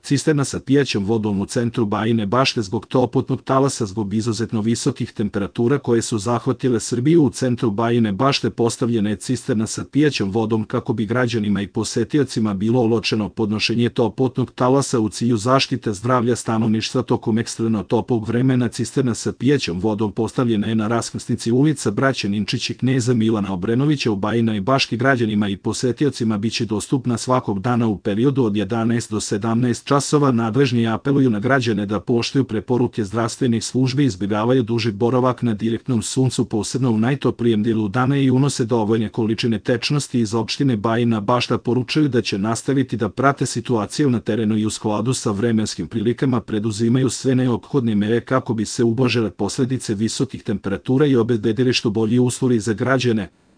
cisterna sa pijaćom vodom u centru Bajine Bašte zbog toplotnog talasa zbog izuzetno visokih temperatura koje su zahvatile Srbiju. U centru Bajine Bašte postavljena je cisterna sa pijaćom vodom kako bi građanima i posetiocima bilo olakšano podnošenje toplotnog talasa u cilju zaštite zdravlja stanovništva tokom ekstremno toplog vremena. Cisterna sa pijaćom vodom postavljena je na raskrsnici ulica Braće Ninčić i Kneza Milana Obrenovića u Bajinoj Bašti. Građanima i posetiocima biće dostupna svakog dana u periodu od 11 do 17 časova. Nadležni apeluju na građane da poštuju preporuke zdravstvenih službi, izbjegavaju duži boravak na direktnom suncu, posebno u najtoplijem dijelu dana, i unose dovoljne količine tečnosti. Iz opštine Bajina Bašta poručuju da će nastaviti da prate situaciju na terenu i u skladu sa vremenskim prilikama preduzimaju sve neophodne mere kako bi se ublažile posledice visokih temperatura i obezbedili što bolji uslovi za građane.